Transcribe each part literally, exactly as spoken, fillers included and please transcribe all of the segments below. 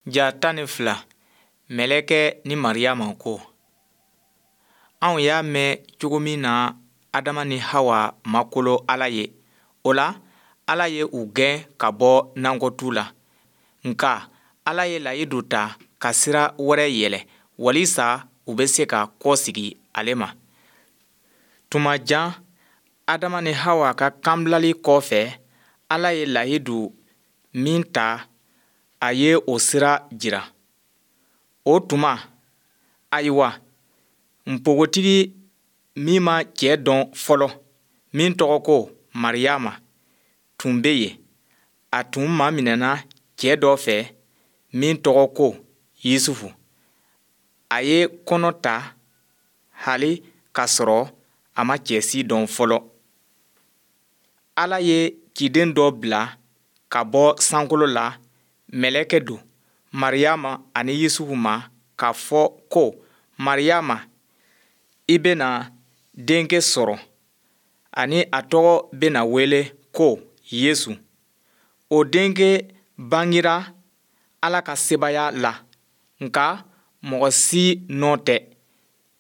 Ja tan ni fila, mɛlɛkɛ ni Mariyama ko. Anw y'a mɛn cogo min na Adama ni Hawa ma kolo Ala ye, o la Ala ye u gɛn ka bɔ nakɔtu la. Nka Ala ye layidu ta ka sira wɛrɛ yɛlɛ walisa u bɛ se ka kɔsegi ale ma. Tuma jan Adama ni Hawa ka kanbilali kɔfɛ, Ala ye layidu min ta, a ye o sira jira. O tuma, ayiwa, npogotigi min ma cɛ dɔn fɔlɔ, min tɔgɔ ko Mariyama, tun bɛ yen. A tun maminɛna cɛ dɔ fɛ min tɔgɔ ko Yusufu. A ye kɔnɔ ta hali k'a sɔrɔ a ma cɛ si dɔn fɔlɔ. Ala ye ciden dɔ bila ka bɔ sankolo la, mɛlɛkɛ don, Mariyama ani Yusufu ma k'a fɔ ko, Mariyama, i bɛna denkɛ sɔrɔ, ani a tɔgɔ bɛna wele ko Yesu. O denkɛ bangera Ala ka sebaaya la, nka mɔgɔ si nɔ tɛ.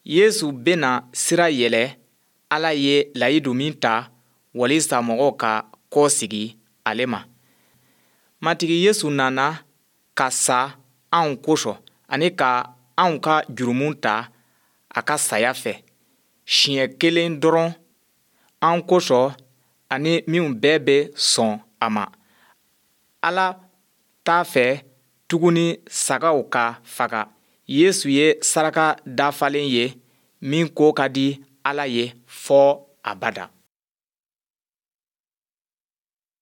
Yesu bɛna sira yɛlɛ Ala ye layidu min ta walisa mɔgɔw ka kɔsegi ale ma. Matigi Yesu nana ka sa anw kosɔn ani ka anw ka jurumu ta a ka saya fɛ siɲɛ kelen dɔrɔn an kosɔn ani minnu bɛɛ bɛ sɔn a ma. Ala t'a fɛ tuguni sagaw ka faga. Yesu ye saraka dafalen ye min ko ka di Ala ye fɔ abada.